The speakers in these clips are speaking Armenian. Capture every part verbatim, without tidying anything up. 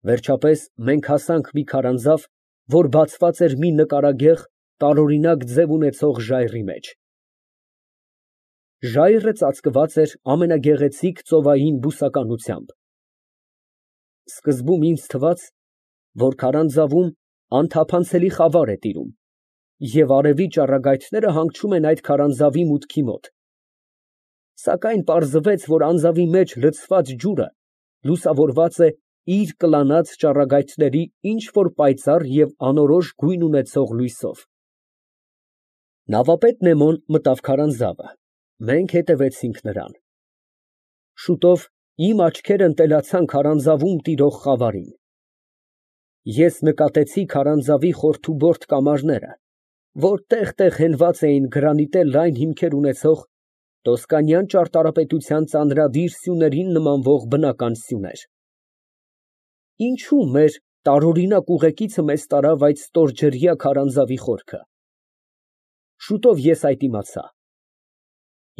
Վերջապես մենք հասանք մի քարանձավ, որ բացված էր մի նկարագեղ, տարօրինակ ձև ունեցող ժայռի մեջ։ Ժայռը ծածկված էր ամենագեղեցիկ ծովային բուսականությամբ։ Սկզբում ինձ թվաց, որ քարանձավում անթափանցելի խավար է տիրում, և արևի ճառագայթները հանգչում են այդ քարանձավի մուտքի մոտ, սակայն պարզվեց, որ անձավի մեջ լցված ջուրը լուսավորված է իր կլանած ճառագայթների ինչ֊որ պայծառ և անորոշ գույն ունեցող լույսով։ Նավապետ Նեմոն մտավ քարանձավը, մենք հետևեցինք նրան։ Շուտով իմ աչքերն ընտելացան քարանձավում տիրող խավարին։ Ես նկատեցի քարանձավի խորթուբորդ կամարները, որ տեղ֊տեղ հենված էին գրանիտե լայն հիմքեր ունեցող, տոսկանյան ճարտարապետության ծանրադիր սյուներին նմանվող բնական սյուներ։ Ինչո՞ւ մեր տարօրինակ ուղեկիցը մեզ տարավ այդ ստորջրյա քարանձավի խորքը։ Շուտով ես այդ իմացա։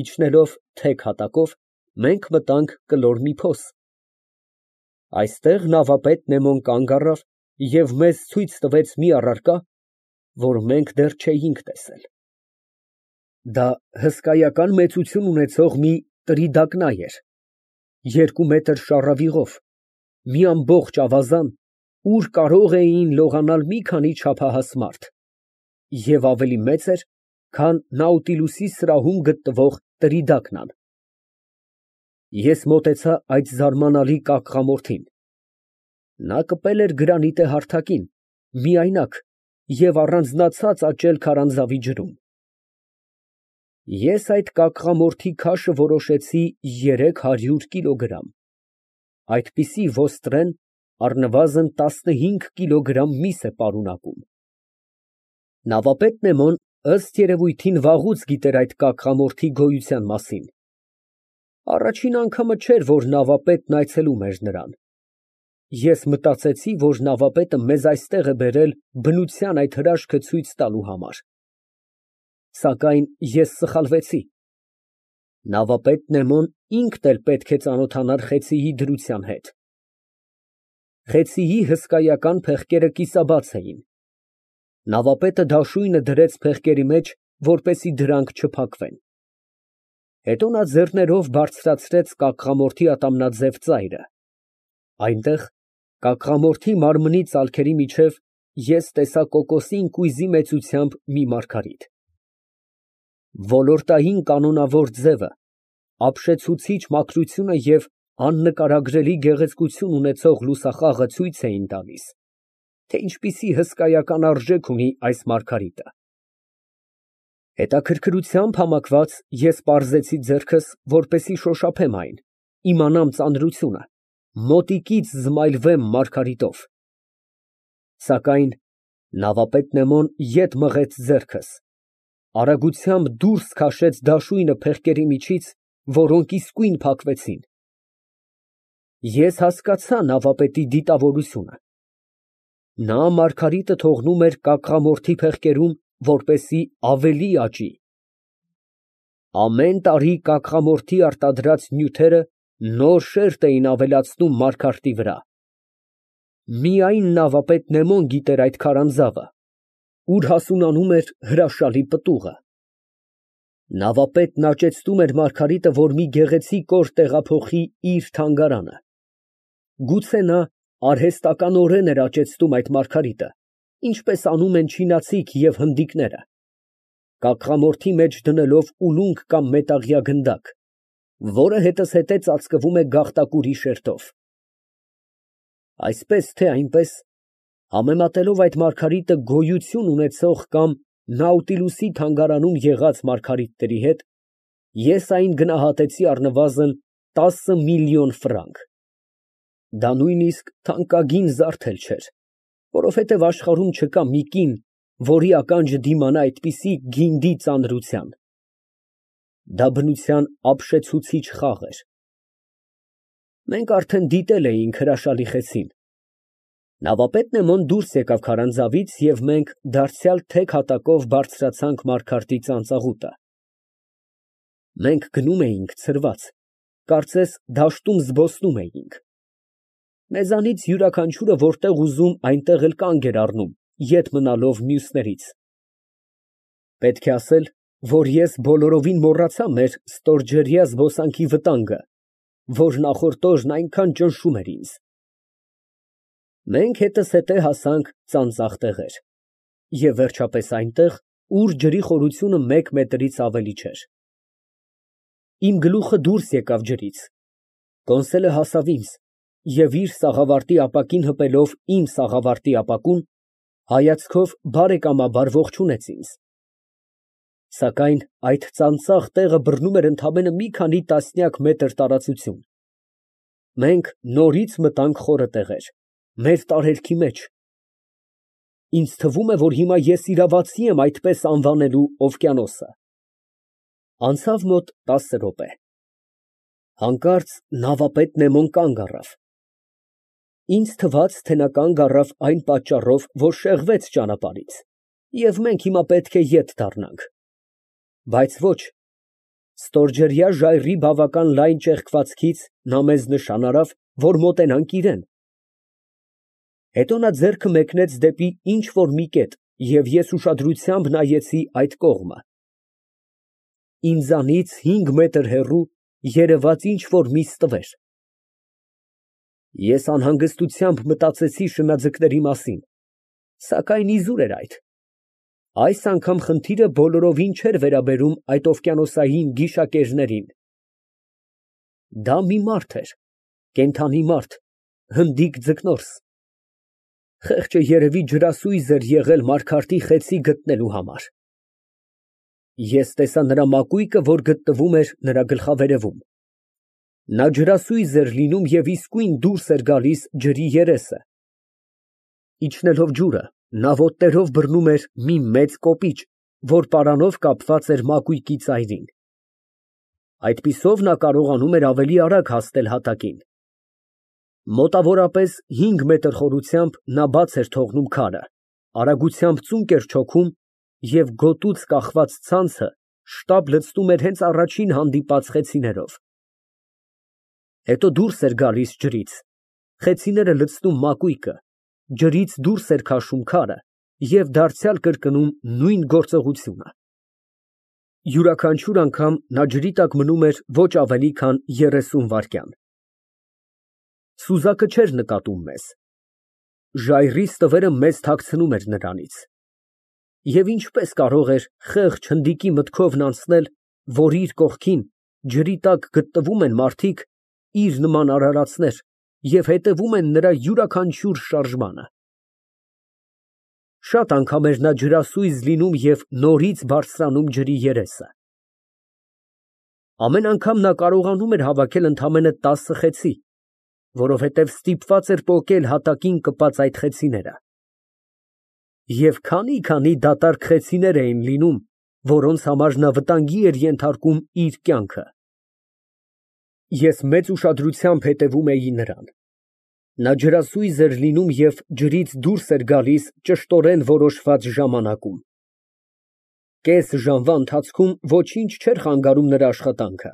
Իջնելով թեք հատակով, մենք մտանք կլոր մի փոս։ Այստեղ նավապետ Նեմոն կանգ առավ և մեզ ցույց տվեց մի առարկա, որ մենք դեռ չէինք տեսել։ Դա հսկայական մեծություն ունեցող մի տրիդակնայ էր, երկու մետր շառավիղով, մի ամբողջ ավազան, ուր կարող էին լողանալ մի քանի չափահաս մարդ, և ավելի մեծ էր, քան Նաուտիլուսի սրահում գտնվող տրիդակնան։ Ես մոտեցա այդ զարմանալի կակղամորթին։ Նա կպել էր գրանիտե հարթակին, միայնակ և առանձնացած աճել քարանձավի ջրում։ Ես այդ կակղամորթի քաշը որոշեցի երեք հարյուր կիլոգրամ, այդպիսի ոստրեն առնվազն տասնհինգ կիլոգրամ միս է պարունակում։ Նավապետ Նեմոն, ըստ երևույթին, վաղուց գիտեր այդ կակղամորթի գոյության մասին։ Առաջին անգամը չէր, որ նավապետն այցելում էր նրան։ Ես մտածեցի, որ նավապետը մեզ այստեղ է բերել բնության այդ հրաշքը ցույց տալու համար։ Սակայն ես սխալվեցի։ Նավապետ Նեմոն ինքն էլ պետք է ծանոթանար խեցիի դրության հետ։ Խեցիի հսկայական փեղկերը կիսաբաց էին։ Նավապետը դաշույնը դրեց փեղկերի մեջ, որպեսզի դրանք չփակվեն։ Հետո նա ձեռներով բարձրացրեց կակղամորթի ատամնաձև ծայրը։ Այնտեղ, կակղամորթի մարմնի ծալքերի միջև, ես տեսա կոկոսին կույզի մեծությամբ մի մարգարիտ։ Ոլորտային կանոնավոր ձևը, ապշեցուցիչ մաքրությունը և աննկարագրելի գեղեցկություն ունեցող լուսախաղը ցույց էին տալիս, թե ինչպիսի հսկայական արժեք ունի այս մարգարիտը։ Հետաքրքրությամբ համակված ես պարզեցի ձեռքս, որպեսզի շոշափեմ այն, իմանամ ծանրությունը, մոտիկից զմայլվեմ մարգարիտով։ Սակայն նավապետ Նեմոն ետ մղեց ձեռքս, արագությամբ դուրս քաշեց դաշույնը փեղկերի միջից, որոնք իսկույն փակվեցին։ Ես հասկացա նավապետի դիտավորությունը։ Նա մարգարիտը թողնում էր կակղամորթի փեղկերում, որպեսզի ավելի աճի։ Ամեն տարի կակղամորթի արտադրած նյութերը նոր շերտ էին ավելացնում մարգարտի վրա։ Միայն նավապետ Նեմոն գիտեր այդ քարանձավը, ուր հասունանում էր հրաշալի պտուղը։ Նավապետն աճեցնում էր մարգարիտը, որ մի գեղեցիկ օր տեղափոխի իր թանգարանը։ Գուցե նա արհեստականորեն էր աճեցնում այդ մարգարիտը, ինչպես անում են չինացիք և հնդիկները, կակղամորթի մեջ դնելով ուլունք կամ մետաղյա գնդակ, որը հետզհետե ծածկվում է գաղտակուրի շերտով։ Այսպես թե այնպես, համեմատելով այդ մարգարիտը գոյություն ունեցող կամ Նաուտիլուսի թանգարանում եղած մարգարիտների հետ, ես այն գնահատեցի առնվազն տասը միլիոն ֆրանկ։ Դա նույնիսկ թանկագին զարդ էլ չէր, որովհետև աշխարհում չկա մի կին, որի ականջը դիմանա այդպիսի գինդի ծանրության։ Դա բնության ապշեցուցիչ խաղ էր։ Մենք արդեն դիտել էինք հրաշալի խեցին։ Նավապետ Նեմոն դուրս եկավ քարանձավից, և մենք դարձյալ թեք հատակով բարձրացանք մարգարտի ծանծաղուտը։ Մենք գնում էինք ցրված, կարծես դաշտում զբոսնում էինք։ Մեզանից յուրաքանչյուրը որտեղ ուզում այնտեղ էլ կանգ էր առնում, ետ մնալով մյուսներից։ Պետք է ասել, որ ես բոլորովին մոռացա մեր ստորջրյա զբոսանքի վտանգը, որ նախորդ օրն այնքան ճնշում էր ինձ։ Մենք հետզհետե հասանք ծանծաղ տեղեր և վերջապես այնտեղ, ուր ջրի խորությունը մեկ մետրից ավելի չէր։ Իմ գլուխը դուրս եկավ ջրից, կոնսոլը հասավ ինձ և իր սաղավարտի ապակին հպելով իմ սաղավարտի ապակուն, հայացքով բարեկամաբար ողջունեց ինձ։ Սակայն այդ ծանծաղ տեղը բռնում էր ընդամենը մի քանի տասնյակ մետր տարածություն։ Մենք նորից մտանք խորը տեղեր, մեր տարերքի մեջ։ Ինձ թվում է, որ հիմա ես իրավացի եմ այդպես անվանելու օվկիանոսը։ Անցավ մոտ տասը րոպե։ Հանկարծ նավապետ Նեմոն կանգ առավ։ Ինձ թվաց, թե նա կանգ առավ այն պատճառով, որ շեղվեց ճանապարհից, և մենք հիմա պետք է ետ դառնանք։ Բայց ոչ, ստորջրյա ժայռի բավական լայն ճեղքվածքից նա մեզ նշան արավ, որ մոտենանք իրան։ Հետո նա ձեռքը մեկնեց դեպի ինչ֊որ մի կետ, և ես ուշադրությամբ նայեցի այդ կողմը։ Ինձանից հինգ մետր հեռու երևաց ինչ֊որ մի ստվեր։ Ես անհանգստությամբ մտածեցի շնաձկների մասին, սակայն իզուր էր այդ։ Այս անգամ խնդիրը բոլորովին չէր վերաբերում այդ օվկիանոսային գիշակերներին։ Դա մի մարդ էր, կենդանի մարդ, հնդիկ ձկնորս։ Խեղճը երևի ջրասույզ էր եղել Մարգարտի խեցի գտնելու համար։ Ես տեսա նրա մակույկը, որ գտնվում էր նրա գլխավերևում։ Նա ջրասույզ էր լինում և իսկույն դուրս էր գալիս ջրի երեսը։ Իջնելով ջուրը, նա ոտներով բռնում էր մի մեծ կոպիչ, որ պարանով կապված էր մակույկի ծայրին։ Այդպիսով նա կարողանում էր ավելի արագ հասնել հատակին։ Մոտավորապես հինգ մետր խորությամբ նա բաց էր թողնում քարը, արագությամբ ծունկ էր չոքում և գոտուց կախված ցանցը շտապ լցնում էր հենց առաջին հանդիպած խեցիներով։ Հետո դուրս էր գալիս ջրից, խեցիները լցնում մակույկը, ջրից դուրս էր քաշում քարը և դարձյալ կրկնում նույն գործողությունը։ Յուրաքանչյուր անգամ նա ջրի տակ մնում էր ոչ ավելի քան երեսուն վայրկյան։ Սուզակը չէր նկատում մեզ։ Ժայռի ստվերը մեզ թաքցնում էր նրանից։ Եվ ինչպես կարող էր խեղճ հնդիկի մտքովն անցնել, որ իր կողքին, ջրի տակ գտնվում են մարդիկ, իր նման արարածներ, և հետևում են նրա յուրաքանչյուր շարժմանը։ Շատ անգամ էր նա ջրասույզ լինում և նորից բարձրանում ջրի երեսը։ Ամեն անգամ նա կարողանում էր հավաքել ընդամենը տասը խեցի, որովհետև ստիպված էր պոկել հատակին կպած այդ խեցիները։ Եվ քանի՜֊քանի դատարկ խեցիներ էին լինում, որոնց համար նա վտանգի էր ենթարկում իր կյանքը։ Ես մեծ ուշադրությամբ հետևում էի նրան։ Նա ջրասույզ էր լինում և ջրից դուրս էր գալիս ճշտորեն որոշված ժամանակում։ Կես ժամվա ընթացքում ոչինչ չէր խանգարում նրա աշխատանքը։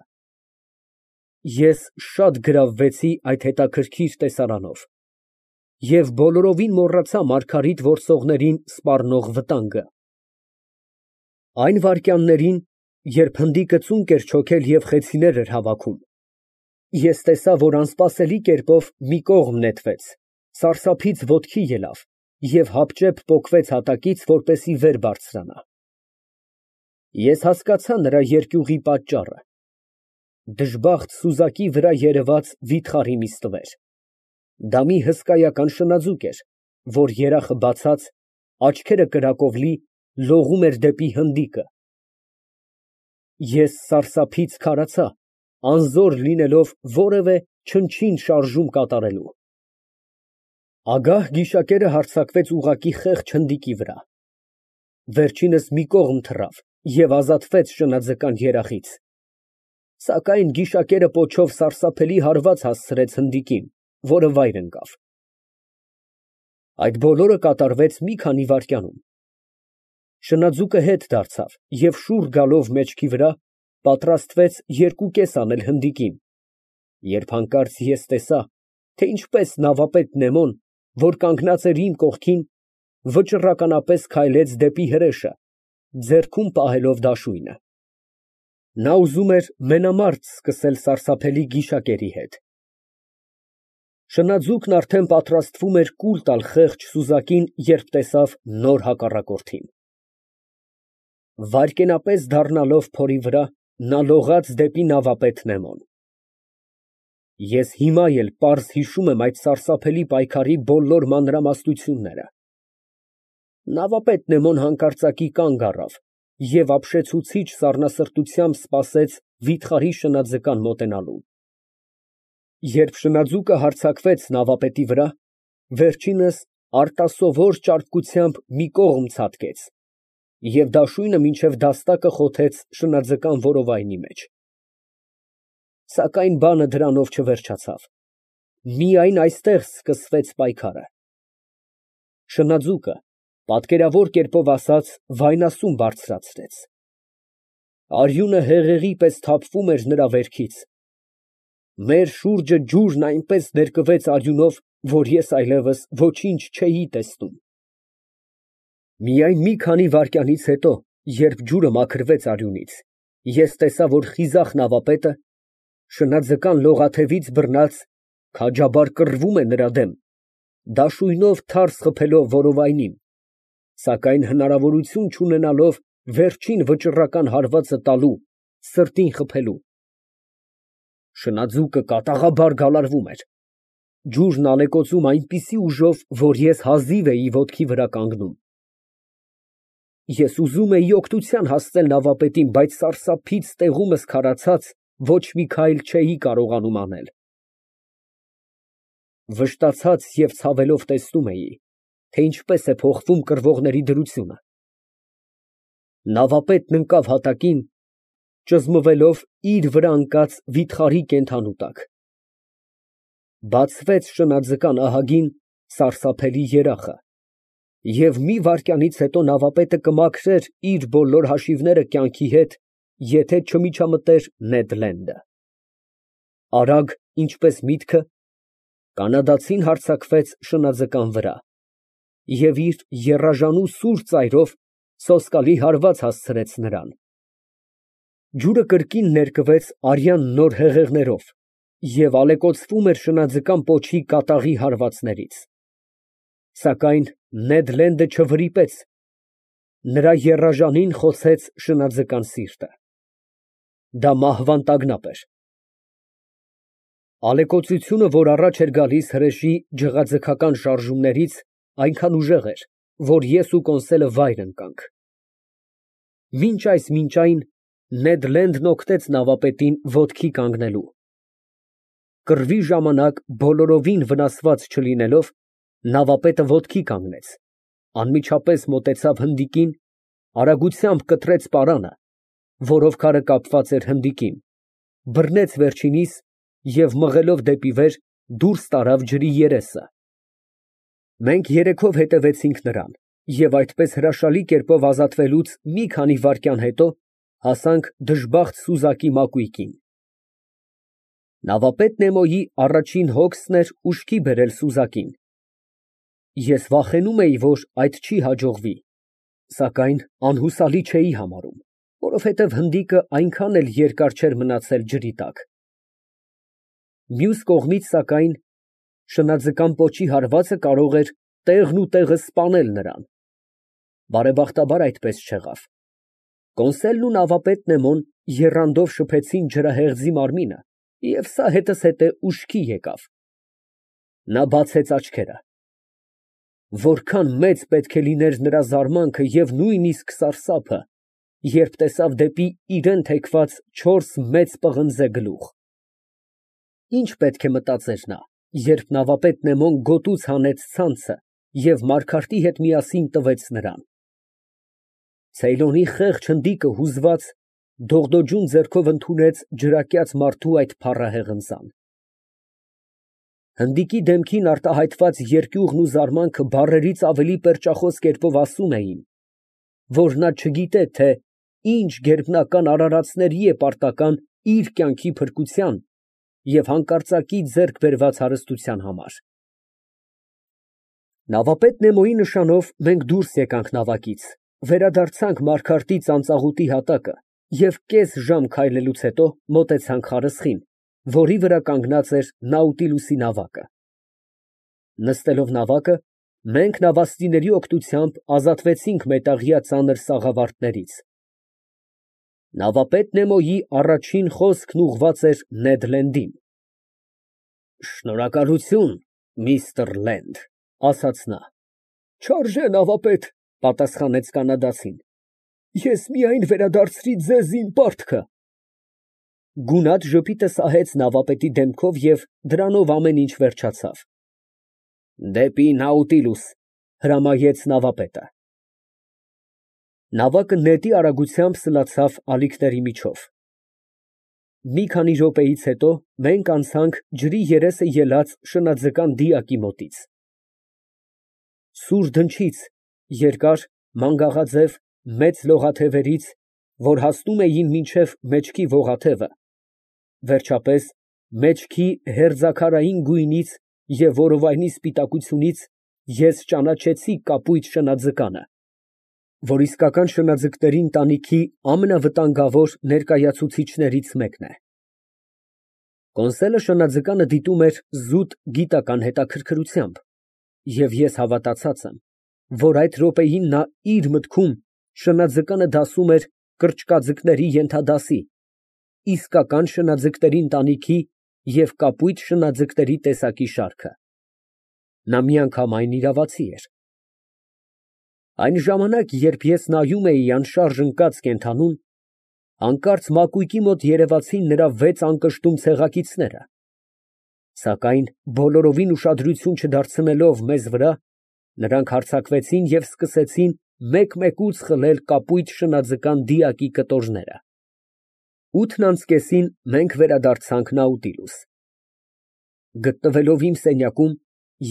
Ես շատ գրավվեցի այդ հետաքրքիր տեսարանով և բոլորովին մոռացա Մարգարիտ որսողներին սպառնող վտանգը։ Այն վայրկյաններին, երբ հնդիկը ծունկ էր չոքել և խեցիներ էր հավաքում, ես տեսա, որ անսպասելի կերպով մի կողմ նետվեց, սարսափից ոտքի ելավ և հապճեպ պոկվեց հատակից, որպեսզի վեր բարձրանա։ Ես հասկացա նրա երկյուղի պատճառը։ Դժբախտ սուզակի վրա երևաց վիթխարի մի ստվեր։ Դա մի հսկայական շնաձուկ էր, որ երախը բացած, աչքերը կրակով լի, լողում էր դեպի հնդիկը։ Ես սարսափից քարացա, անզոր լինելով որևէ չնչին շարժում կատարելու։ Ագահ գիշակերը հարձակվեց ուղղակի խեղճ հնդիկի վրա։ Վերջինս մի կողմ թռավ և ազատվեց շնաձկան երախից։ Սակայն գիշակերը պոչով սարսափելի հարված հասցրեց հնդիկին, որը վայր ընկավ։ Այդ բոլորը կատարվեց մի քանի վայրկյանում։ Շնաձուկը հետ դարձավ և շուռ գալով մեջքի վրա, պատրաստվեց երկու կես անել հնդիկին, երբ հանկարծ ես տեսա, թե ինչպես նավապետ Նեմոն, որ կանգնած էր իմ կողքին, վճռականապես քայլեց դեպի հրեշը, ձեռքում պահելով դաշույնը։ Նա ուզում էր մենամարտ սկսել սարսափելի գիշակերի հետ։ Շնաձուկն արդեն պատրաստվում էր կուլ տալ խեղճ սուզակին, երբ տեսավ նոր հակառակորդին։ Վայրկենապես դառնալով փորի վրա, նա լողաց դեպի նավապետ Նեմոն։ Ես հիմա էլ պարզ հիշում եմ այդ սարսափելի պայքարի բոլոր մանրամասնությունները։ Նավապետ Նեմոն հանկարծակի կանգ առավ և ապշեցուցիչ սառնասրտությամբ սպասեց վիթխարի շնաձկան մոտենալուն։ Երբ շնաձուկը հարձակվեց նավապետի վրա, վերջինս արտասովոր ճարպկությամբ մի կողմ ցատկեց և դաշույնը մինչև դաստակը խոթեց շնաձկան որովայնի մեջ։ Սակայն բանը դրանով չվերջացավ, միայն այստեղ սկսվեց պայքարը։ Շնաձուկը, պատկերավոր կերպով ասած, վայնասուն բարձրացրեց։ Արյունը հեղեղի պես թափվում էր նրա վերքից։ Մեր շուրջը ջուրն այնպես ներկվեց արյունով, որ ես այլևս ոչինչ չէի տեսնում։ Միայն մի քանի վայրկյանից հետո, երբ ջուրը մաքրվեց արյունից, ես տեսա, որ խիզախ նավապետը, շնաձկան լողաթևից բռնած, քաջաբար կռվում է նրա դեմ, դաշույնով թարս խփելով որովայնին, սակայն հնարավորություն չունենալով վերջին վճռական հարվածը տալու, սրտին խփելու։ Շնաձուկը կատաղաբար գալարվում էր։ Ջուրն ալեկոծում այնպիսի ուժով, որ ես հազիվ էի ոտքի վրա կանգնում։ Ես ուզում էի օգնության հասցնել նավապետին, բայց սարսափից տեղումս քարացած, ոչ մի քայլ չէի կարողանում անել։ Վշտացած և ցավելով տեսնում էի, թե ինչպես է փոխվում կռվողների դրությունը։ Նավապետն ընկավ հատակին, ճզմվելով իր վրա ընկած վիթխարի կենդանու տակ։ Բացվեց շնաձկան ահագին սարսափելի երախը, և մի վայրկյանից հետո նավապետը կմաքրեր իր բոլոր հաշիվները կյանքի հետ, եթե չմիջամտեր Նեդ Լենդը։ Արագ, ինչպես միտքը, կանադացին հարձակվեց շնաձկան վրա և իր եռաժանու սուր ծայրով սոսկալի հարված հասցրեց նրան։ Ջուրը կրկին ներկվեց արյան նոր հեղեղներով և ալեկոծվում էր շնաձկան պոչի կատաղի հարվածներից։ Սակայն Նեդ Լենդը չվրիպեց, նրա եռաժանին խոցեց շնաձկան սիրտը։ Դա մահվան տագնապ էր։ Ալեկոծությունը, որ առաջ էր գալիս հրեշի ջղաձգական շարժումներից, այնքան ուժեղ էր, որ ես ու Կոնսելը վայր ընկանք։ Մինչ այս մինչ այն Նեդ Լենդն օգնեց նավապետին ոտքի կանգնելու։ Կռվի ժամանակ բոլորովին վնասված չլինելով, նավապետը ոտքի կանգնեց, անմիջապես մոտեցավ հնդիկին, արագությամբ կտրեց պարանը, որով քարը կապված էր հնդիկին, բռնեց վերջինիս և մղելով դեպի վեր, դուրս տարավ ջրի երեսը։ Մենք երեքով հետևեցինք նրան և այդպես հրաշալի կերպով ազատվելուց մի քանի վայրկյան հետո հասանք դժբախտ սուզակի մակույկին։ Նավապետ Նեմոյի առաջին հոգսն էր ուշքի բերել սուզակին։ Ես վախենում էի, որ այդ չի հաջողվի, սակայն անհուսալի չէի համարում, որովհետև հնդիկը այնքան էլ երկար չէր մնացել ջրի տակ։ Մյուս կողմից, սակայն, շնաձկան պոչի հարվածը կարող էր տեղն ու տեղը սպանել նրան։ Բարեբախտաբար այդպես չեղավ։ Կոնսելն ու նավապետ Նեմոն եռանդով շփեցին ջրահեղձի մարմինը, և սա հետզհետե ուշքի եկավ։ Նա բացեց աչքերը։ Որքան մեծ պետք է լիներ նրա զարմանքը և նույնիսկ սարսափը, երբ տեսավ դեպի իրան թեքված չորս մեծ պղնձե գլուխ։ Ինչ պետք է մտածեր նա, երբ նավապետ Նեմոն գոտուց հանեց ցանցը և Մարգարտի հետ միասին տվեց նրան։ Ցեյլոնի խեղճ հնդիկը հուզված, դողդոջուն ձեռքով ընդունեց ջրակյաց մարդու այդ փառահեղ ընծան։ Հնդիկի դեմքին արտահայտված երկյուղն ու զարմանքը բառերից ավելի պերճախոս կերպով ասում էին, որ նա չգիտե, թե ինչ գերբնական արարածների է պարտական իր կյանքի փրկության և հանկարծակի ձեռք բերված հարստության համար։ Նավապետ Նեմոյի նշանով մենք դուրս եկանք նավակից, վերադարձանք Մարգարտի ծանծաղուտի հատակը և կես ժամ քայլելուց հետո մոտեցանք խարսխին, որի վրա կանգնած էր Նաուտիլուսի նավակը։ Նստելով նավակը, մենք նավաստիների օգնությամբ ազատվեցինք մետաղյա ծանր սաղավարտներից։ Նավապետ Նեմոյի առաջին խոսքն ուղղված էր Նեդ Լենդին։ «Շնորհակալություն, միստր Լենդ», ֊ ասաց նա։ «Չարժե, նավապետ», ֊ պատասխանեց կանադացին, «ես միայն վերադարձրի ձեզ իմ պարտքը»։ Գունատ ժպիտը սահեց նավապետի դեմքով և դրանով ամեն ինչ վերջացավ։ «Դեպի Նաուտիլուս», ֊ հրամայեց նավապետը։ Նավակը նետի արագությամբ սլացավ ալիքների միջով։ Մի քանի րոպեից հետո մենք անցանք ջրի երեսը ելած շնաձկան դիակի մոտից։ Սուր դնչից, երկար, մանգաղաձև, մեծ լողաթևերից, որ հասնում էին մինչև մեջքի ողաթևը, վերջապես մեջքի հերձաքարային գույնից և որովայնի սպիտակությունից ես ճանաչեցի կապույտ շնաձկանը, որ իսկական շնաձկների ընտանիքի ամենավտանգավոր ներկայացուցիչներից մեկն է։ Կոնսոլը շնաձկանը դիտում էր զուտ գիտական հետաքրքրությամբ, և ես հավատացած եմ, որ այդ րոպեին նա իր մտքում շնաձկանը դասում էր կրճկաձկների ենթադասի, իսկական շնաձկների ընտանիքի և կապույտ շնաձկների տեսակի շարքը։ Նա միանգամայն իրավացի էր։ Այն ժամանակ, երբ ես նայում էի անշարժ ընկած կենդանուն, հանկարծ մակույկի մոտ երևացին նրա վեց անկշտում ցեղակիցները, սակայն բոլորովին ուշադրություն չդարձնելով մեզ վրա, նրանք հարձակվեցին և սկսեցին մեկ֊մեկուց խլել կապույտ շնաձկան դիակի կտորները։ Ութն անց կեսին մենք վերադարձանք Նաուտիլուս։ Գտնվելով իմ սենյակում,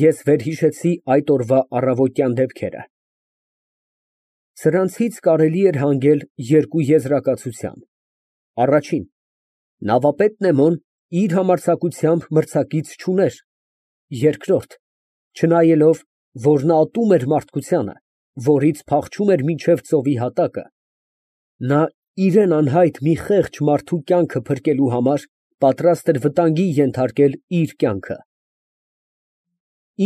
ես վերհիշեցի այդ օրվա առավոտյան դեպքերը։ Սրանցից կարելի էր հանգել երկու եզրակացության. Առաջին, նավապետ Նեմոն իր համարձակությամբ մրցակից չուներ, երկրորդ, չնայելով, որ նա ատում էր մարդկությանը, որից փախչում էր մինչև ծովի հատակը, նա իրան անհայտ մի խեղճ մարդու կյանքը փրկելու համար պատրաստ էր վտանգի ենթարկել իր կյանքը։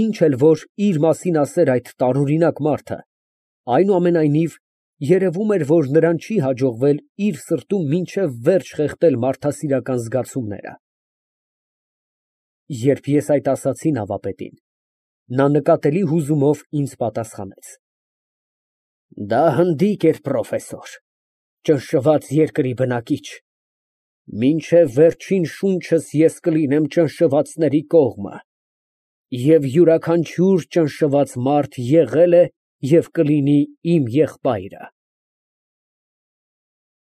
Ինչ էլ որ իր մասին ասեր այդ տարօրինակ մարդը, այնուամենայնիվ, երևում էր, որ նրան չի հաջողվել իր սրտում մինչև վերջ խեղդել մարդասիրական զգացումները։ Երբ ես այդ ասացի նավապետին, նա նկատելի հուզումով ինձ պատասխանեց. «Դա հնդիկ էր, պրոֆեսոր, ճնշված երկրի բնակիչ, մինչև վերջին շունչս ես կլինեմ ճնշվածների կողմը, և յուրաքանչյուր ճնշված մարդ եղել է և կլինի իմ եղբայրը»։